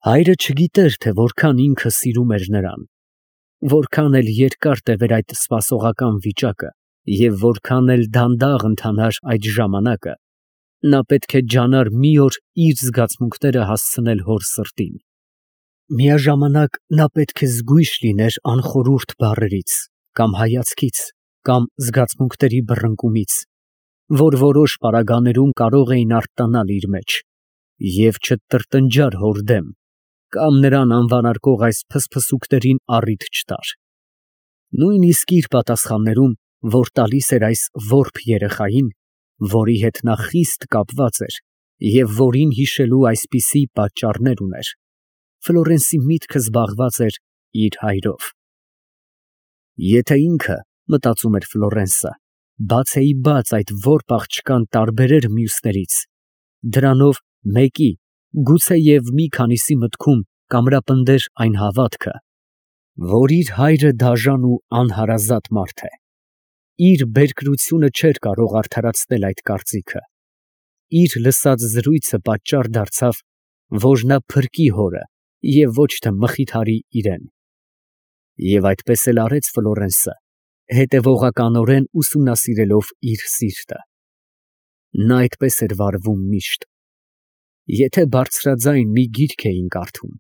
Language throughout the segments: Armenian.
Հայրը չգիտեր, թե որքան ինքը սիրում էր նրան, որքան էլ երկար տևեր այդ սպասողական վիճակը և որքան էլ դանդաղ ընթանար այդ ժամանակը, նա պետք է ջանար մի օր իր զգացմունքները հասցնել հոր սրտին։ Միաժամանակ նա պետք է զգույշ լիներ անխորհուրդ բառերից, կամ հայացքից, կամ զգացմունքների բռնկումից, որ որոշ պարագաներում կարող էին արտանալ իր մեջ, և չտրտնջար հոր դեմ, կամ նրան անվանարկող այս փսփսուկներին առիթ չտար։ Նույնիսկ իր պատասխաններում, որ տալիս էր այս որբ երեխային, որի հետ նա խիստ կապված էր և որին հիշելու այսպիսի պատճառներ ուներ, Ֆլորենսի միտքը զբաղված էր իր հայրով։ Եթե ինքը, մտածում էր Ֆլորենսը, բացեիբաց այդ որբ աղջկան տարբերեր մյուսներից, դրանով մեկի, գուցեև մի քանիսի մտքում կամրապնդեր այն հավատքը, որ իր հայրը դաժան ու անհարազատ մարդ է, իր բերկրությունը չէր կարող արդարացնել այդ կարծիքը, իր լսած զրույցը պատճառ դարձավ, որ նա փրկի հորը և ոչ թե մխիթարի իրան։ Եվ այդպես էլ արեց Ֆլորենսը, հետևողականորեն ուսումնասիրելով իր սիրտը։ Նա այդպես էր վարվում միշտ։ Եթե բարձրաձայն մի գիրք էին կարդում,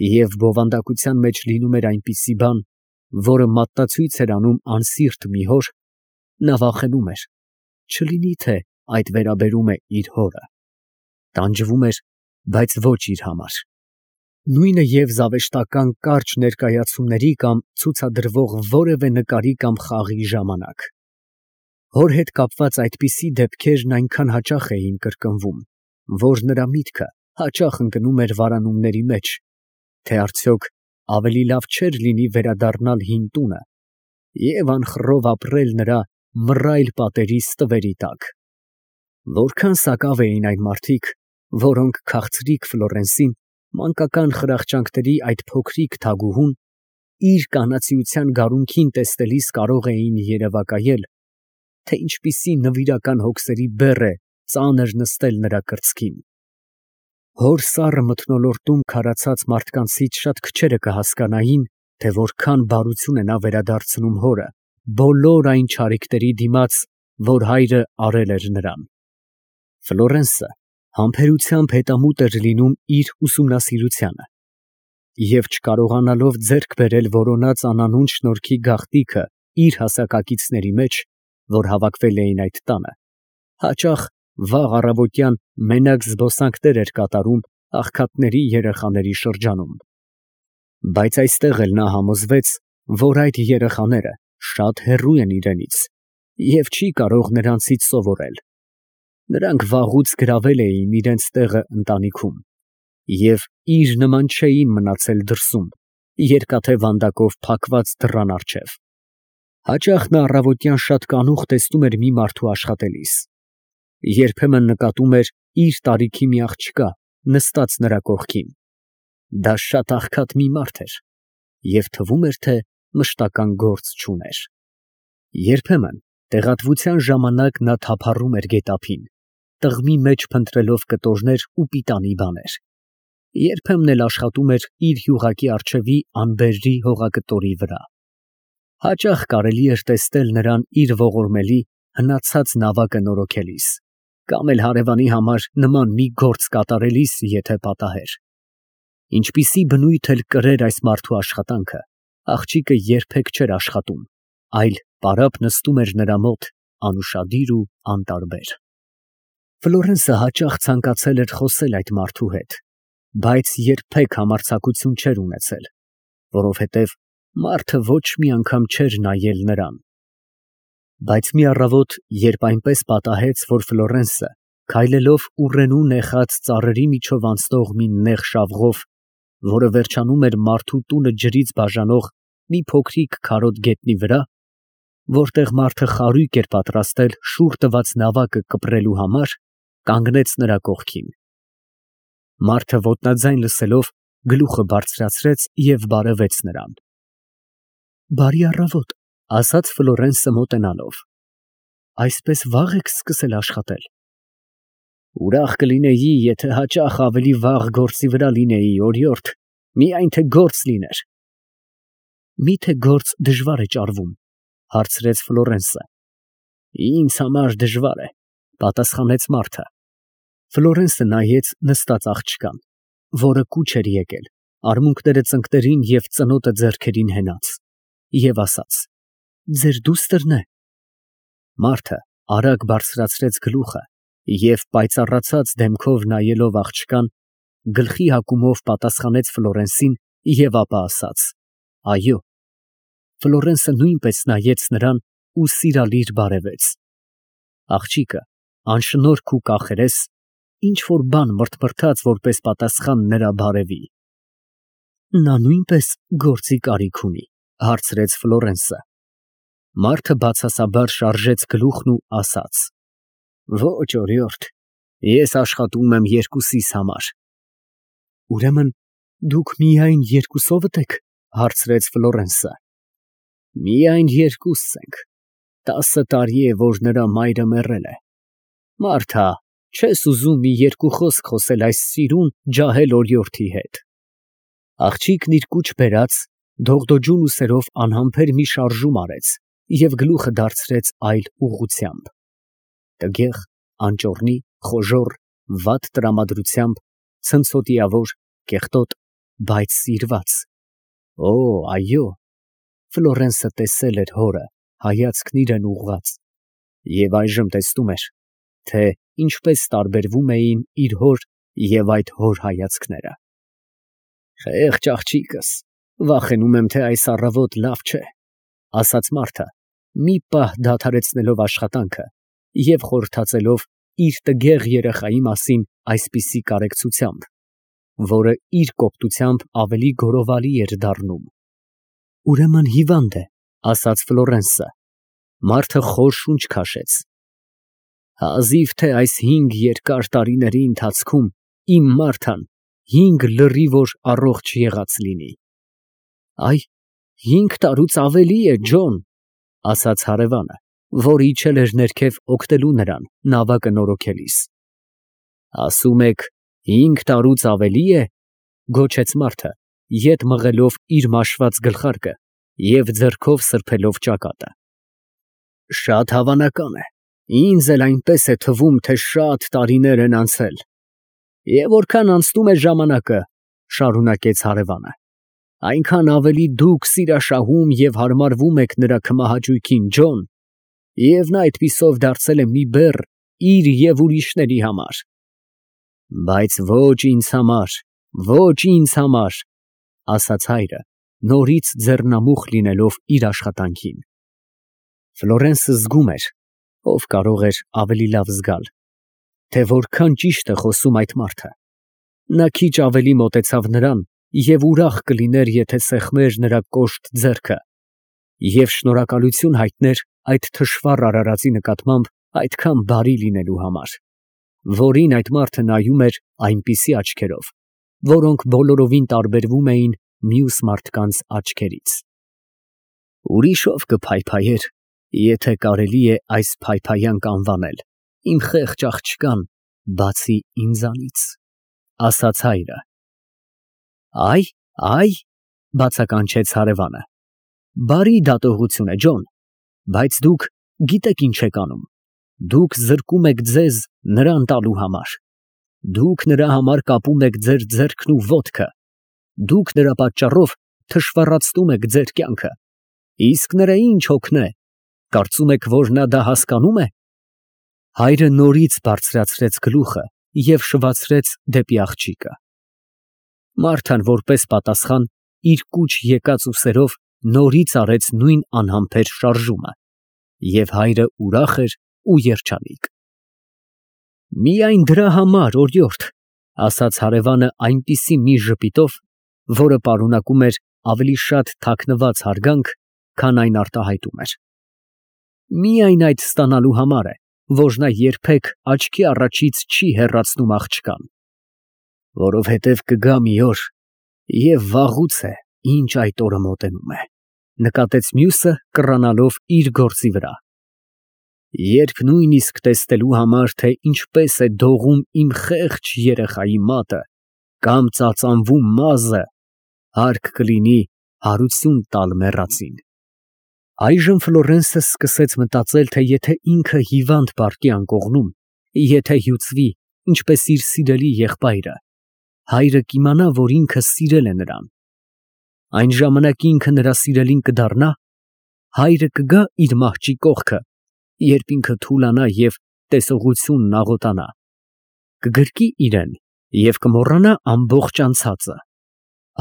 և բովանդակության մեջ լինում էր այնպիսի բան, որը մատնացույց էր անում անսիրտ մի հոր, նա վախենում էր, չլինի թե այդ վերաբերում է իր հորը, տանջվում էր, բայց ոչ իր համար։ Նույնը և զավեշտական կարճ ներկայացումների կամ ցուցադրվող որևէ նկարի կամ խաղի ժամանակ։ Հոր հետ կապված այդպիսի դեպքերն այնքան հաճախ էին կրկնվում, որ նրա միտքը հաճախ ընկնում էր վարանումների մեջ, թե արդյոք ավելի լավ չէր լինի վերադառնալ հին տունը և անխռով ապրել նրա մռայլ պատերի ստվերի տակ։ Որքան սակավ էին այն մարդիկ, որոնք քաղցրիկ Ֆլորենսին մանկական խրախճանքների այդ փոքրիկ թագուհուն իր կանացիության գարունքին տեսնելիս կարող էին երևակայել, թե ինչպիսի նվիրական հոգսերի բեռ է ծանր նստել նրա կրծքին։ Հոր սառը մթնոլորտում քարացած մարդկանցից շատ քչերը կհասկանային, թե որքան բարություն է նա վերադարձնում հորը բոլոր այն չարիքների դիմաց, որ հայրը արել էր նրան։ Ֆլորենսը համբերությամբ հետամուտ էր լինում իր ուսումնասիրությանը և չկարողանալով ձեռք բերել որոնած անանուն շնորհքի գաղտնիքը իր հասակակիցների մեջ, որ հավաքվել էին այդ տանը, հաճախ վաղ առավոտյան մենակ զբոսանքներ էր կատարում աղքատների երեխաների շրջանում։ Բայց այստեղ էլ նա համոզվեց, որ այդ երեխաները շատ հեռու են իրենից և չի կարող նրանցից սովորել։ Նրանք վաղուց գրավել էին իրենց տեղը ընտանիքում և իր նման չէին մնացել դրսում, երկաթե վանդակով փակված դռան առջև։ Հաճախ նա առավոտյան շատ կանուխ տեսնում էր մի մարդու աշխատելիս, երբեմն նկատում էր իր տարիքի մի աղջկա նստած նրա կողքին։ Դա շատ աղքատ մի մարդ էր և թվում էր, թե մշտական գործ չուներ։ Երբեմն տեղատվության ժամանակ նա թափառում էր գետափին, տղմի մեջ փնտրելով կտորներ ու պիտանի բաներ, երբեմն էլ աշխատում էր իր յուղակի առջևի անբերրի հողակտորի վրա։ Հաճախ կարելի էր տեսնել նրան իր ողորմելի հնացած նավակը նորոգելիս, կամ էլ հարևանի համար նման մի գործ կատարելիս, եթե պատահեր։ Ինչպիսի բնույթ էլ կրեր այս մարդու աշխատանքը, աղջիկը երբեք չէր աշխատում, այլ պարապ նստում էր նրա մոտ անուշադիր ու անտարբեր։ Ֆլորենսը հաճախ ցանկացել էր խոսել այդ մարդու հետ, բայց երբեք համարձակություն չէր ունեցել, որովհետև մարդը ոչ մի անգամ չէր նայել նրան։ Բայց մի առավոտ, երբ այնպես պատահեց, որ Ֆլորենսը, քայլելով ուռենու նեխած ծառերի միջով անցնող մի նեղ շավղով, որը վերջանում էր մարդու տունը ջրից բաժանող մի փոքրիկ քարոտ գետնի վրա, որտեղ մարդը խարույկ էր պատրաստել շուռ տված նավակը կպրելու համար, կանգնեց նրա կողքին։ Մարդը ոտնաձայն լսելով գլուխը բարձրացրեց և բարևեց նրան։ «Բարի առավոտ», ֊ ասաց Ֆլորենսը մոտենալով, ֊ այսպես վաղ եք սկսել աշխատել։ Ուրախ կլինեի, եթե հաճախ ավելի վաղ գործի վրա լինեի, օրիորդ, միայն թե գործ լիներ։ Մի՞թե գործ դժվար է ճարվում, հարցրեց Ֆլորենսը։ Ինձ համար դժվար է, պատասխանեց Մարթը։ Ֆլորենսը նայեց նստած աղջկան, որը կուչ էր եկել, արմունկները ծնկներին և ծնոտը ձեռքերին հենած, և ասաց. Ձեր դուստր՞ն է։ Մարթը արագ բարձրացրեց գլուխը և պայծառացած դեմքով նայելով աղջկան, գլխի հագումով պատասխանեց Ֆլորենսին և ապա ասաց. Այո։ Ֆլորենսը նույնպես նայեց նրան ու սիրալիր բարևեց։ Աղջիկը, անշնորհք ու կախերես, ինչ որ բան մրթմրթաց որպես պատասխան նրա բարևի։ Նա նույնպես գործի կարիք ունի, հարցրեց Ֆլորենսը։ Մարթը բացասաբար շարժեց գլուխն ու ասաց. Ոչ, օրիորդ, ես աշխատում եմ երկուսիս համար։ Ուրեմն դուք միայն երկուսովդ եք, հարցրեց Ֆլորենսը։ Միայն երկուսս ենք, 10 տարի է, որ նրա մայրը մեռել է։ Մարթա, չես ուզում մի երկու խոսք խոսել այս սիրուն ջահել օրիորդի հետ։ Աղջիկն իր կուչ բերած, դողդոջուն ուսերով անհամբեր մի շարժում արեց և գլուխը դարձրեց այլ ուղղությամբ։ Տգեղ, անճոռնի, խոժոռ, վատ տրամադրությամբ, ցնցոտիավոր, կեղտոտ, բայց սիրված։ Օ, այո։ Ֆլորենսը տեսել էր հորը, հայացքն իրան ուղղված, և այժմ տեսնում էր, թե ինչպես տարբերվում էին իր հոր և այդ հոր հայացքները։ Խեղճ աղջիկս, վախենում եմ, թե այս առավոտ լավ չէ, ասաց Մարթը, մի պահ դադարեցնելով աշխատանքը և խորհրդածելով իր տգեղ երեխայի մասին այսպիսի կարեկցությամբ, որը իր կոպտությամբ ավելի գորովալի էր դառնում։ Ուրեմն հիվանդ է, ասաց Ֆլորենսը։ Մարթը խոր շունչ քաշեց։ Հազիվ թե այս 5 երկար տարիների ընթացքում իմ Մարթան 5 լրիվոր առողջ եղած լինի։ Այ, 5 տարուց ավելի է, Ջոն, ասաց հարևանը, որ իջել էր ներքև օգնելու նրան նավակը նորոգելիս։ Ասում եք 5 տարուց ավելի է, գոչեց Մարթը, ետ մղելով իր մաշված գլխարկը և ձեռքով սրբելով ճակատը։ Շատ հավանական է, ինձ էլ այնպես է թվում, թե շատ տարիներ են անցել։ Եվ որքան անցնում է ժամանակը, շարունակեց հարևանը, այնքան ավելի դուք սիրաշահում և հարմարվում եք նրա քմահաճույքին, Ջոն, և նա այդպիսով դարձել է մի բեռ իր և ուրիշների համար։ Բայց ոչ ինձ համար, ոչ ինձ համար, ասաց հայրը, նորից ձեռնամուխ լինելով իր աշխատանքին։ Ֆլորենսը զգում էր, ով կարող էր ավելի լավ զգալ, թե որքան ճիշտ է խոսում այդ մարդը։ Նա քիչ ավելի մոտեցավ նրան և ուրախ կլիներ, եթե սեղմեր նրա կոշտ ձեռքը և շնորհակալություն հայտներ այդ թշվառ արարածի նկատմամբ այդքան բարի լինելու համար, որին այդ մարդը նայում էր այնպիսի աչքերով, որոնք բոլորովին տարբերվում էին մյուս մարդկանց աչքերից։ Ուրիշով կփայփայեր, եթե կարելի է այս փայփայանք անվանել, իմ խեղճ աղջկան, բացի ինձանից, ասաց հայրը։ Այ, բացականչեց հարևանը, բարի դատողություն է, Ջոն, բայց դուք գիտեք ինչ եք անում, դուք զրկում եք ձեզ նրան տալու համար, դուք նրա համար կապում եք ձեր ձեռքն ու ոտքը, դուք նրա պատճառով թշվառացնում եք ձեր կյանքը, իսկ նրա ինչ հոգն է, կարծում եք, որ նա դա հասկանում է։ Հայրը նորից բարձրացրեց գլուխը և շվացրեց դեպի աղջիկը։ Մարթան որպես պատասխան իր կուչ եկած ուսերով նորից արեց նույն անհամբեր շարժումը, և հայրը ուրախ էր ու երջանիկ։ Միայն դրա համար, օրիորդ, ասաց հարևանը այնպիսի մի ժպիտով, որը պարունակում էր ավելի շատ թաքնված հարգանք, քան այն արտահայտում էր։ Միայն այդ ստանալու համար է, որ նա երբեք աչքի առաջից չի հեռացնում աղջկան, որովհետև կգա մի օր, և վաղուց է, ինչ այդ օրը մոտենում է, նկատեց մյուսը կռանալով իր գործի վրա։ Երբ նույնիսկ տեսնելու համար, թե ինչպես է դողում իմ խեղճ երեխայի մատը կամ ծածանվում մազը, հարկ կլինի հարություն տալ մեռածին։ Այժմ Ֆլորենսը սկսեց մտածել, թե եթե ինքը հիվանդ պառկի անկողնում, եթե հյուծվի, ինչպես իր սիրելի եղբայրը, հայրը կիմանա, որ ինքը սիրել է նրան։ Այն ժամանակ ինքը նրա սիրելին կդառնա, հայրը կգա իր մահճի կողքը, երբ ինքը թուլանա և տեսողությունն աղոտանա, կգրկի իրեն և կմոռանա ամբողջ անցածը։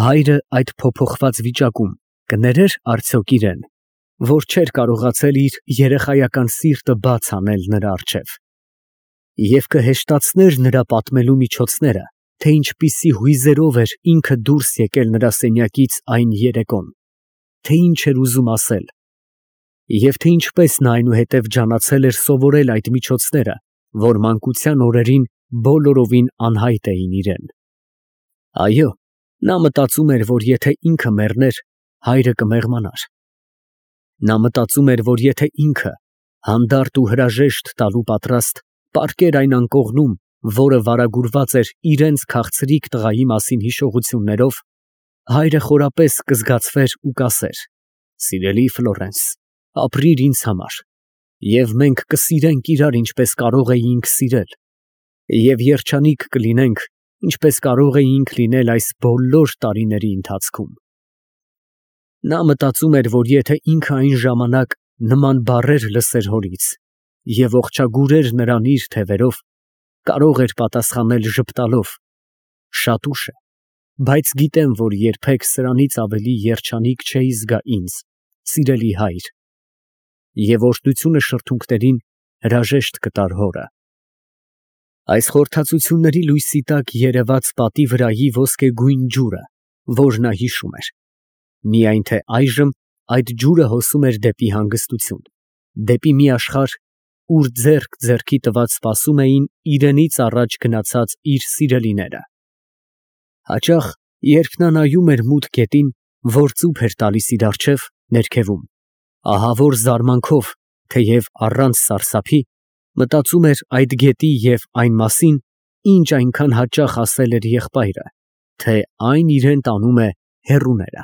Հայրը այդ փոփոխված վիճակում կներեր արդյոք իրեն, որ չէր կարողացել իր երեխայական սիրտը բաց անել նրա առջև, և կհեշտացներ նրա պատմելու միջոցները, թե ինչպիսի հույզերով էր ինքը դուրս եկել նրա սենյակից այն երեկոն, թե ինչ էր ուզում ասել, և թե ինչպես նա այնուհետև ջանացել էր սովորել այդ միջոցները, որ մանկության օրերին բոլորովին անհայտ էին իրեն։ Այո, նա մտածում էր, որ եթե ինքը մեռներ, հայրը կմեղմանար։ Նա մտածում էր, որ եթե ինքը, հանդարտ ու հրաժեշտ տալու պատրաստ, պառկեր այն անկողնում, որը վարագուրված էր իրենց քաղցրիկ տղայի մասին հիշողություններով, հայրը խորապես կզգացվեր ու կասեր. «Սիրելի Ֆլորենս, ապրիր ինձ համար, և մենք կսիրենք իրար, ինչպես կարող էինք սիրել, և երջանիկ կլինենք, ինչպես կարող էինք լինել այս բոլոր տարիների ընթացքում»։ Նա մտածում էր, որ եթե ինքը այն ժամանակ նման բառեր լսեր հորից և ողջագուրեր նրան իր թևերով, կարող էր պատասխանել ժպտալով. «Շատ ուշ է, բայց գիտեմ, որ երբեք սրանից ավելի երջանիկ չէի զգա ինձ, սիրելի հայր», և օրհնությունը շրթունքներին հրաժեշտ կտար հորը։ Այս խորհրդածությունների լույսի տակ երևաց պատի վրայի ոսկեգույն ջուրը, որ նա հիշում էր, միայն թե այժմ այդ ջուրը հոսում էր դեպի հանգստություն, դեպի մի աշխարհ, ուր ձեռք ձեռքի տված սպասում էին իրենից առաջ գնացած իր սիրելիները։ Հաճախ, երբ նա նայում էր մութ գետին, որ ծուփ էր տալիս իր առջև, ներքևում, ահավոր զարմանքով, թեև առանց սարսափի, մտածում էր այդ գետի և այն մասին, ինչ այնքան հաճախ ասել էր եղբայրը, թե այն իրան տանում է հեռուները։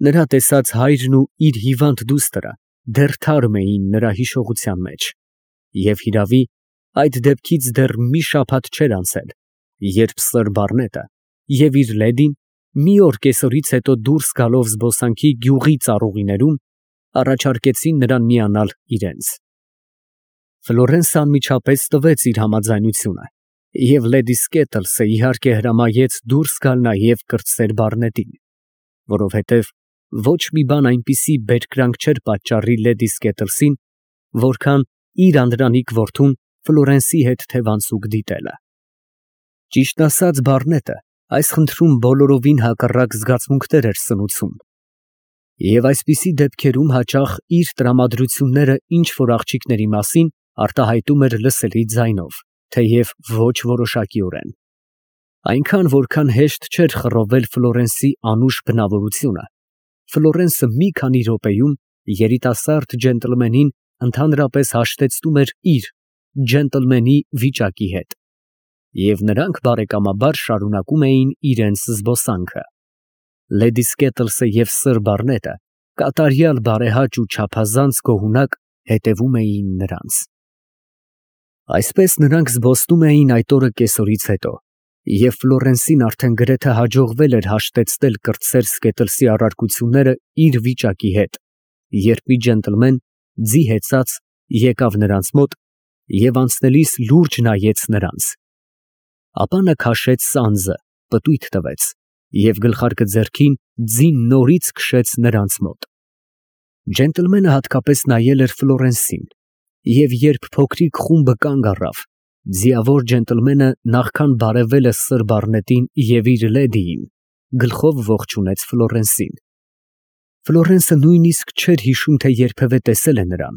Նրա տեսած հայրն ու իր հիվանդ դուստրը դեռ թարմ էին նրա հիշողության մեջ, և հիրավի, այդ դեպքից դեռ մի շաբաթ չէր անցել, երբ Սըր Բարնետը և իր լեդին մի օր կեսօրից հետո դուրս գալով զբոսանքի գյուղի ծառուղիներում, առաջարկեցին նրան միանալ իրենց։ Ֆլորենսը անմիջապես տվեց իր համաձայնությունը, և լեդի Սկետլսը իհարկե հրամայեց դուրս գալ նաև կրտսեր Բարնետին, որովհետև ոչ մի բան այնպիսի բերկրանք չէր պատճառի լեդի Սկետլսին, որքան իր անդրանիկ որդուն Ֆլորենսի հետ թևանցուկ դիտելը։ Ճիշտն ասած, Բարնետը այս խնդրում բոլորովին հակառակ զգացմունքներ էր սնուցում, և այսպիսի դեպքերում հաճախ իր տրամադրությունները ինչ֊որ աղջիկների մասին արտահայտում էր լսելի ձայնով, թեև ոչ որոշակիորեն։ Այնքան, որքան հեշտ չէր խռովել Ֆլորենսի անուշ բնավորությունը, Ֆլորենսը մի քանի րոպեում երիտասարդ ջենտլմենին ընդհանրապես հաշտեցնում էր իր ջենտլմենի վիճակի հետ, և նրանք բարեկամաբար շարունակում էին իրենց զբոսանքը։ Լեդի Սկետլսը և Սըր Բարնետը կատարյալ բարեհաճ ու չափազանց գոհունակ հետևում էին նրանց։ Այսպես նրանք զբոսնում էին այդ օրը կեսօրից հետո, և Ֆլորենսին արդեն գրեթե հաջողվել էր հաշտեցնել կրտսեր Սկետլսի առարկությունները իր վիճակի հետ, երբ մի ջենտլմեն ձի հեծած եկավ նրանց մոտ և անցնելիս լուրջ նայեց նրանց, ապա նա քաշեց սանձը, պտույտ տվեց և գլխարկը ձեռքին ձին նորից քշեց նրանց մոտ։ Ջենտլմենը հատկապես նայել էր Ֆլորենսին, և երբ փոքրիկ խումբը կանգ առավ, ձիավոր ջենտլմենը նախքան բարևել է Սըր Բարնետին և իր լեդիին, գլխով ողջունեց Ֆլորենսին։ Ֆլորենսը նույնիսկ չէր հիշում, թե երբևէ տեսել է նրան,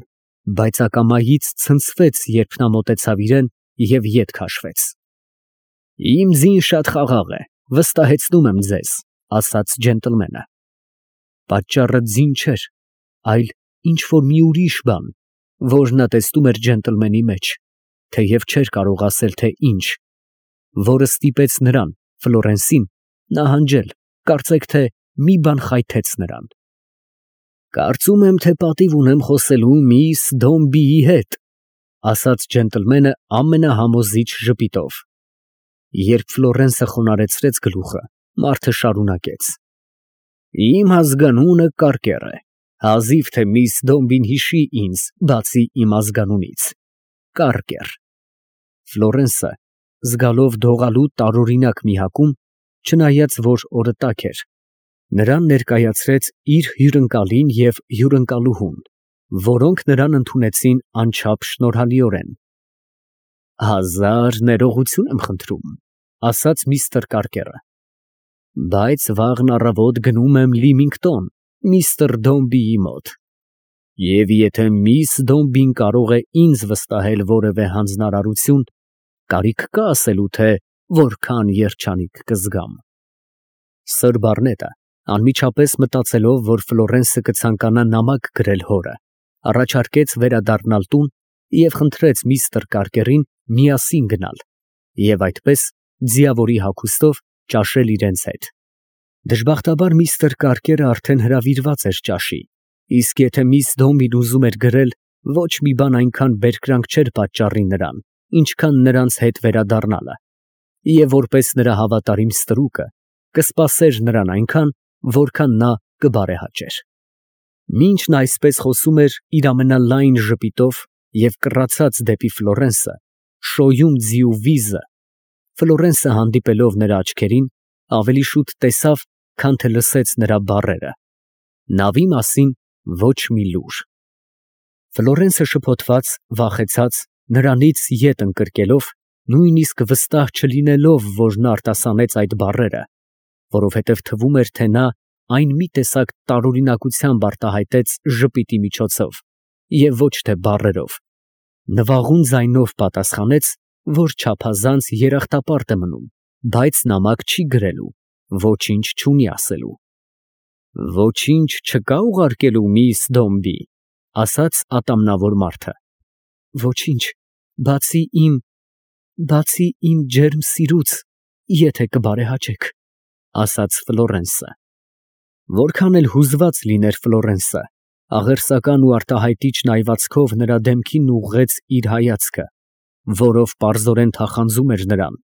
բայց ակամայից ցնցվեց, երբ նա մոտեցավ իրան և ետ քաշվեց։ «Իմ ձին շատ խաղաղ է, վստահեցնում եմ ձեզ», ֊ ասաց ջենտլմենը։ Պատճառը ձին չէր, այլ ինչ֊որ մի ուրիշ բան, որ նա տեսնում էր ջենտլմենի մեջ, թեև չէր կարող ասել, թե ինչ, որը ստիպեց նրան, Ֆլորենսին, նահանջել, կարծեք թե մի բան խայթեց նրան։ «Կարծում եմ, թե պատիվ ունեմ խոսելու միս Դոմբիի հետ», ասաց ջենտլմենը ամենահամոզիչ ժպիտով։ Երբ Ֆլորենսը խոնարհեցրեց գլուխը, մարդը շարունակեց. «Իմ ազգանունը Կարկեր է, հազիվ թե միս Դոմբին հիշի ինձ, բացի իմ ազգանունից, Կարկեր»։ Ֆլորենսը, զգալով դողալու տարօրինակ մի հակում, չնայած որ օրը տաք էր, նրան ներկայացրեց իր հյուրընկալին և հյուրընկալուհուն, որոնք նրան ընդունեցին անչափ շնորհալիորեն։ «Հազար ներողություն եմ խնդրում», ասաց միստր Կարկերը, «բայց վաղն առավոտ գնում եմ Լիմինգտոն, միստր Դոմբիի մոտ, և եթե միս Դոմբին կարող է ինձ վստահել որևէ հանձնարարություն, կարիք կա ասելու, թե որքան երջանիկ կզգամ»։ Սըր Բարնետը, անմիջապես մտածելով, որ Ֆլորենսը կցանկանա նամակ գրել հորը, առաջարկեց վերադառնալ տուն և խնդրեց միստր Կարկերին միասին գնալ և այդպես ձիավորի հագուստով ճաշել իրենց հետ։ Դժբախտաբար միստր Կարկերը արդեն հրավիրված էր ճաշի, իսկ եթե միս Դոմբին ուզում էր գրել, ոչ մի բան այնքան բերկրանք չէր պատճառի նրան, ինչքան նրանց հետ վերադառնալը, և որպես նրա հավատարիմ ստրուկը կսպասեր նրան այնքան, որքան նա կբարեհաճեր։ Մինչ նա այսպես խոսում էր իր ամենալայն ժպիտով և կռացած դեպի Ֆլորենսը, շոյում ձիու վիզը, Ֆլորենսը հանդիպելով նրա աչքերին, ավելի շուտ տեսավ, քան թե լսեց նրա բառերը։ Նավի մասին ոչ մի լուր։ Ֆլորենսը շփոթված, վախեցած, նրանից ետ ընկրկելով, նույնիսկ վստահ չլինելով, որ նա արտասանեց այդ բառերը, որովհետև թվում էր, թե նա այն մի տեսակ տարօրինակությամբ արտահայտեց ժպիտի միջոցով և ոչ թե բառերով, նվաղուն ձայնով պատասխանեց, որ չափազանց երախտապարտ է մնում, բայց նամակ չի գրելու, ոչինչ չունի ասելու։ «Ոչինչ չկա ուղարկելու միս Դոմբի», ասաց ատամնավոր մարդը։ «Ոչինչ, բացի իմ ջերմ սիրուց, եթե կբարեհաճեք», ասաց Ֆլորենսը։ Որքան էլ հուզված լիներ Ֆլորենսը, աղերսական ու արտահայտիչ նայվածքով նրա դեմքին ուղղեց իր հայացքը, որով պարզորեն թախանձում էր նրան,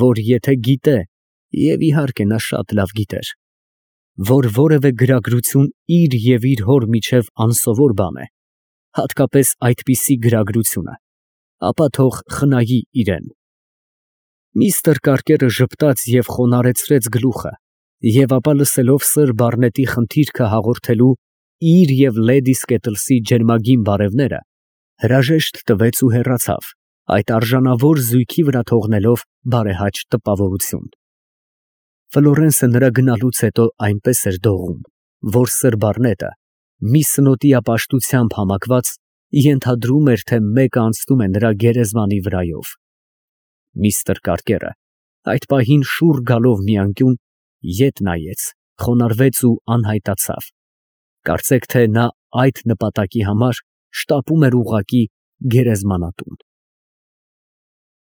որ եթե գիտե, և իհարկե նա շատ լավ գիտեր, որ որևէ գրագրություն իր և իր հոր միջև անսովոր բան է, հատկապես այդպիսի գրագրությունը, ապա թող խնայի իրեն։ Միստր Կարկերը ժպտաց և խոնարհեցրեց գլուխը, և ապա լսելով սըր Բարնետի խնդիրքը հաղորդելու իր և լեդի Սկետլսի ջերմագին բարևները, հրաժեշտ տվեց ու հեռացավ, այդ արժանավոր զույգի վրա թողնելով բարեհաճ տպավորություն։ Ֆլորենսը նրա գնալուց հետո այնպես էր դողում, որ սըր Բարնետը, մի սնոտի ապաշտությամբ համակված, ենթադրում էր, թե մեկը անցնում է նրա գերեզմանի վրայով։ Միստր Կարկերը այդ պահին շուռ գալով մի անկյուն, ետ նայեց, խոնարհվեց ու անհայտացավ, կարծեք թե նա այդ նպատակի համար շտապում էր ուղղակի գերեզմանատուն։